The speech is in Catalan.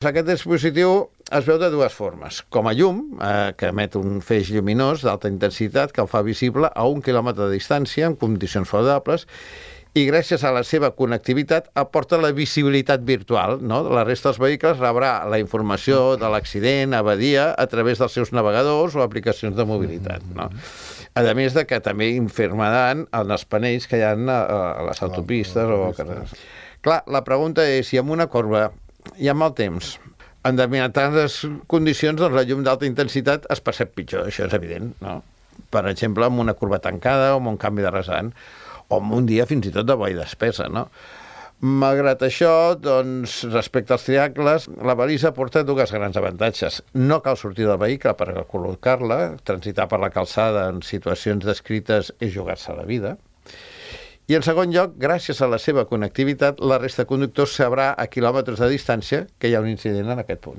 Aquest dispositiu es veu de dues formes. Com a llum, que emet un feix lluminós d'alta intensitat que el fa visible a 1 quilòmetre de distància en condicions favorables i gràcies a la seva connectivitat aporta la visibilitat virtual, no? La resta dels vehicles rebrà la informació de l'accident, avaria, a través dels seus navegadors o aplicacions de mobilitat, no? A més de que també informaran en els panells que hi ha a les autopistes o carreres. Clar, la pregunta és si en una corba i amb el temps, en determinades condicions, doncs la llum d'alta intensitat es percep pitjor, això és evident, no? Per exemple, amb una curva tancada o amb un canvi de rasant, o amb un dia fins i tot de boira espessa, no? Malgrat això, doncs, respecte als triangles, la balisa porta dues grans avantatges. No cal sortir del vehicle per col·locar-la, transitar per la calçada en situacions descrites és jugar-se la vida. I en segon lloc, gràcies a la seva connectivitat, la resta de conductors sabrà a quilòmetres de distància que hi ha un incident en aquest punt.